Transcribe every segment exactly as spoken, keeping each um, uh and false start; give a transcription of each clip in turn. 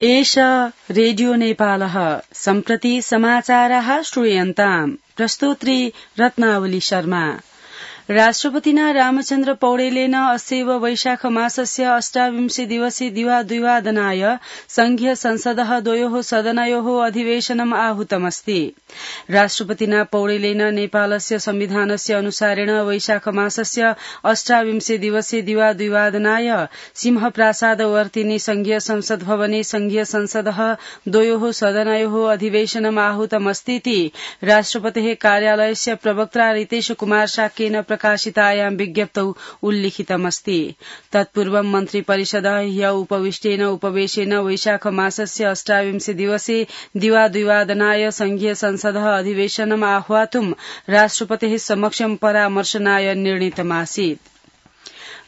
एष रेडियो नेपालः सम्प्रति समाचाराः श्रूयन्ताम् प्रस्तोत्री रत्नावली शर्मा। राष्ट्रपतिना रामचन्द्र पौडेलेन अस्यैव वैशाख मासस्य अष्टाविंशे दिवसे दिवाद्विवादनाय संघीय संसदः द्वयोः सदनयोः अधिवेशनम् आहूतमस्ति। राष्ट्रपतिना पौडेलेन नेपालस्य संविधानस्य अनुसारेण वैशाख मासस्य अष्टाविंशे दिवसे दिवाद्विवादनाय सिंहप्रासादवर्तिनि संघीय संसद भवने संघीय संसदः द्वयोः सदनयोः अधिवेशनम् आहूतमस्तीति राष्ट्रपतेः कार्यालयस्य प्रवक्त्रा रितेश कुमार शाक्येन प्रकाशितायां विज्ञप्तौ उल्लिखितमस्ति। तत्पूर्वं मन्त्रिपरिषदः ह्य उपविष्टेन उपवेशेन वैशाख मासस्य अष्टाविंशे दिवसे दिवाद्विवादनाय संघीय संसदः अधिवेशनम् आह्वातुं राष्ट्रपतेः समक्षं परामर्शनाय निर्णीतमासीत्।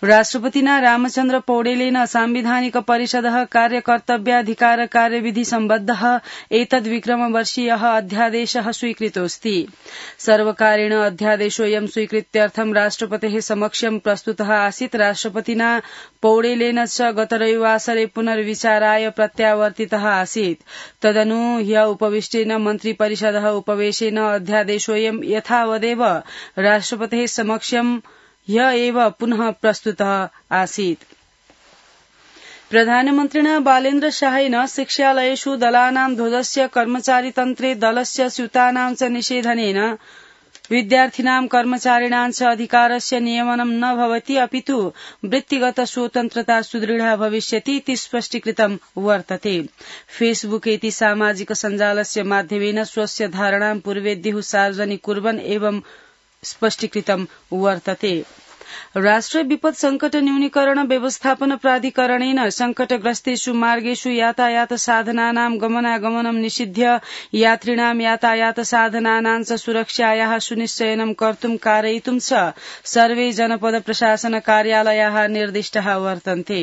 राष्ट्रपतिना रामचन्द्र पौडेलेन सांविधानिक परिषदः कार्यकर्तव्याधिकार कार्यविधि सम्बद्धः एतद्विक्रमवर्षीयः अध्यादेशः स्वीकृतोऽस्ति। सर्वकारेण अध्यादेशोऽयं स्वीकृत्यर्थं राष्ट्रपतेः समक्षं प्रस्तुतः आसीत्। राष्ट्रपतिना पौडेलेन च गत रविवासरे पुनर्विचाराय प्रत्यावर्तितः आसीत्। तदनु ह्य उपविष्टेन मन्त्रिपरिषदः उपवेशेन अध्यादेशोऽयं यथावदेव राष्ट्रपतेः समक्षं ह्य एव पुनः प्रस्तुतः आसीत्। प्रधानमन्त्रिणा बालेन्द्र शाहेन शिक्षालयेषु दलानां ध्वजस्य कर्मचारीतन्त्रे दलस्य स्यूतानां च निषेधनेन विद्यार्थिनां कर्मचारिणां च अधिकारस्य नियमनं न भवति अपितु वृत्तिगत स्वतन्त्रता सुदृढा भविष्यति इति स्पष्टीकृतं वर्तते। फेसबुक इति सामाजिक सञ्जालस्य माध्यमेन स्वस्य धारणां पूर्वेद्युः सार्वजनिक कुर्वन् एवं स्पष्टीकृतं वर्तते। राष्ट्रिय विपद संकट न्यूनीकरण व्यवस्थापन प्राधिकरणेन संकटग्रस्तेषु मार्गेषु यातायात साधनानां गमनागमनं निषिध्य यात्रिणां यातायात साधनानां च सुरक्षायाः सुनिश्चयनं कर्तुं कारयितुं च सर्वे जनपद प्रशासन कार्यालयाः निर्दिष्टाः वर्तन्ते।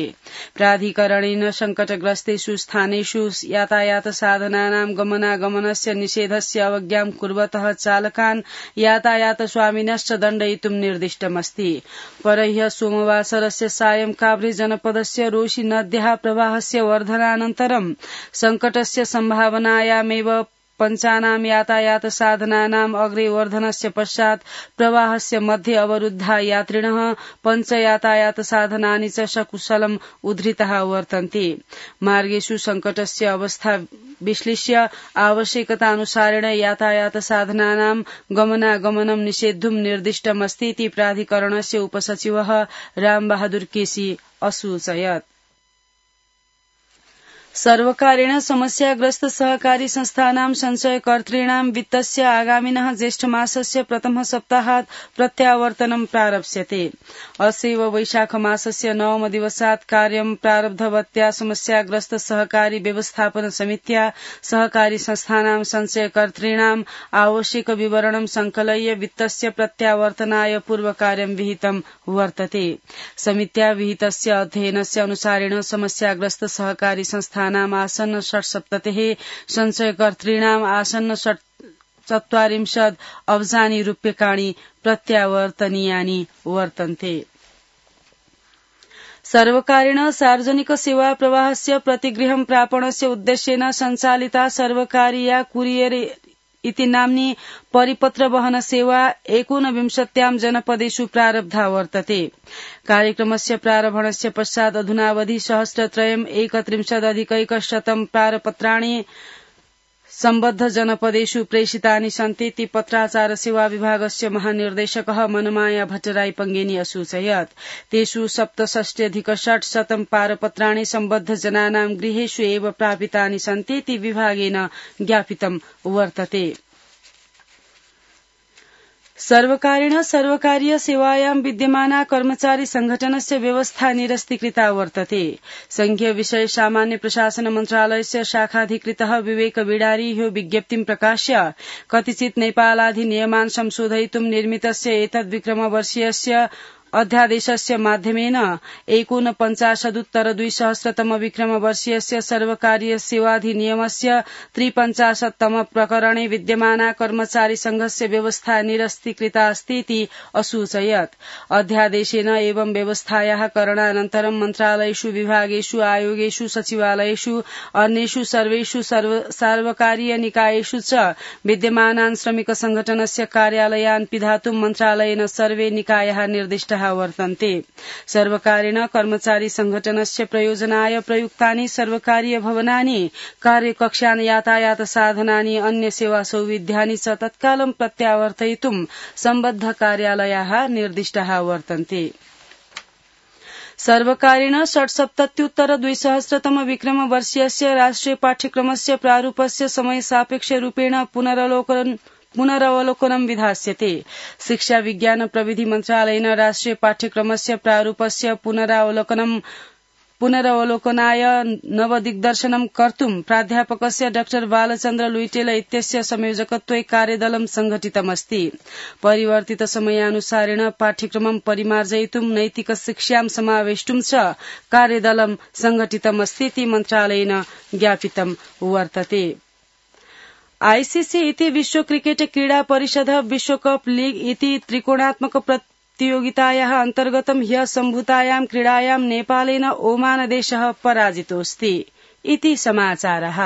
प्राधिकरणेन संकटग्रस्तेषु स्थानेषु यातायात साधनानां गमनागमनस्य निषेधस्य अवज्ञां कुर्वतः चालकान् यातायात स्वामिनश्च दण्डयितुं निर्दिष्टमस्ति। परह्य सोमवासरस्य सायं काभ्रे जनपदस्य रोशी नद्याः प्रवाहस्य वर्धनानन्तरं संकटस्य सम्भावनायामेव पञ्चानां यातायात साधनानाम् अग्रे वर्धनस्य पश्चात् प्रवाहस्य मध्ये अवरुद्धा यात्रिणः पञ्च यातायात साधनानि च सकुशलम् उद्धृताः वर्तन्ते। मार्गेषु संकटस्य अवस्था विश्लेष्य आवश्यकतानुसारेण यातायात साधनानां गमनागमनं निषेद्धुं निर्दिष्टमस्ति इति प्राधिकरणस्य उपसचिवः रामबहादुर केसी असूचयत्। सर्वकारेण समस्याग्रस्त सहकारी संस्थानां संचयकर्तॄणां वित्तस्य आगामिनः ज्येष्ठमासस्य प्रथम सप्ताहात् प्रत्यावर्तनं प्रारप्स्यते। अस्यैव वैशाख मासस्य नवम दिवसात् कार्यं प्रारब्धवत्या समस्याग्रस्त सहकारी व्यवस्थापन समित्या सहकारी संस्थानां संचयकर्तॄणाम् आवश्यक विवरणं संकलय्य वित्तस्य प्रत्यावर्तनाय पूर्वकार्यं विहितं वर्तते। समित्या विहितस्य अध्ययनस्य अनुसारेण समस्याग्रस्त सहकारी संस्था नाम आसन्न षट्सप्ततिः संचयकर्तॄणाम् आसन्न चत्वारिंशत् अब्जानि रूप्यकाणि प्रत्यावर्तनीयानि वर्तन्ते। सर्वकारेण सार्वजनिक सेवा प्रवाहस्य प्रतिगृहं प्रापणस्य उद्देश्येन सञ्चालिता सर्वकारीया कुरियर इति नाम्नी परिपत्र वहन सेवा एकोनविंशत्यां जनपदेषु प्रारब्धा वर्तते। कार्यक्रमस्य प्रारम्भणस्य पश्चात् अधुनावधि सहस्रत्रयम् एकत्रिंशदधिकैकशतं पारपत्राणि सम्बद्ध जनपदेषु प्रेषितानि सन्ति इति पत्राचार सेवा विभागस्य महानिर्देशकः मनमाया भट्टराई पंगेनी असूचयत्। तेषु सप्तषष्ट्यधिकषट्शतं पारपत्राणि सम्बद्ध जनानां गृहेषु एव प्रापितानि सन्ति इति विभागेन ज्ञापितं वर्तते। सर्वकारेण सर्वकारीय सेवायां विद्यमाना कर्मचारी संघटनस्य व्यवस्था निरस्तीकृता वर्तते। संघीय विषय सामान्य प्रशासन मन्त्रालयस्य शाखाधिकृतः विवेक बिडारी ह्यो विज्ञप्तिं प्रकाश्य कतिचित् नेपालाधिनियमान् संशोधयितुं निर्मितस्य एतद्विक्रमवर्षीयस्य अध्यादेशस्य माध्यमेन एकोनपञ्चाशदुत्तर द्विसहस्रतम विक्रमवर्षीयस्य सर्वकारीय सेवाधिनियमस्य त्रिपञ्चाशत्तम प्रकरणे विद्यमाना कर्मचारी संघस्य व्यवस्था निरस्तीकृता अस्तीति असूचयत्। अध्यादेशेन एवं व्यवस्थायाः करणानन्तरं मन्त्रालयेषु विभागेषु आयोगेषु सचिवालयेषु अन्येषु सर्वेषु सार्वकारीय निकायेषु च विद्यमानान् श्रमिक संघटनस्य कार्यालयान् पिधातुं मन्त्रालयेन सर्वे निकायाः निर्दिष्टाः वर्तन्ते। सर्वकारेण कर्मचारी संघटनस्य प्रयोजनाय प्रयुक्तानि सर्वकारीय भवनानि, कार्यकक्षान्, यातायात साधनानि, अन्य सेवा सौविध्यानि च तत्कालं प्रत्यावर्तयितुं सम्बद्ध कार्यालयाः निर्दिष्टाः वर्तन्ते। सर्वकारेण षट्सप्तत्युत्तर द्विसहस्रतम विक्रमवर्षीयस्य राष्ट्रिय पाठ्यक्रमस्य प्रारूपस्य समयसापेक्षरूपेण पुनरवलोकन पुनरवलोकनं विधास्यते। शिक्षा विज्ञान प्रविधि मन्त्रालयेन राष्ट्रिय पाठ्यक्रमस्य प्रारूपस्य पुनरावलोकनं पुनरवलोकनाय नवदिग्दर्शनं कर्तुं प्राध्यापकस्य डाक्टर बालचन्द्र लुइटेल इत्यस्य संयोजकत्वे कार्यदलं संघटितमस्ति। परिवर्तित समयानुसारेण पाठ्यक्रमं परिमार्जयितुं नैतिक शिक्षां समावेष्टुं च कार्यदलं संघटितमस्तीति मन्त्रालयेन ज्ञापितं वर्तते। आईसीसी इति विश्व क्रिकेट क्रीडा परिषद विश्वकप लीग इति त्रिकोणात्मक प्रतियोगितायाः अन्तर्गतं ह्यः सम्भूतायां क्रीडायां नेपालेन ओमान देशः पराजितोऽस्ति। इति समाचारः।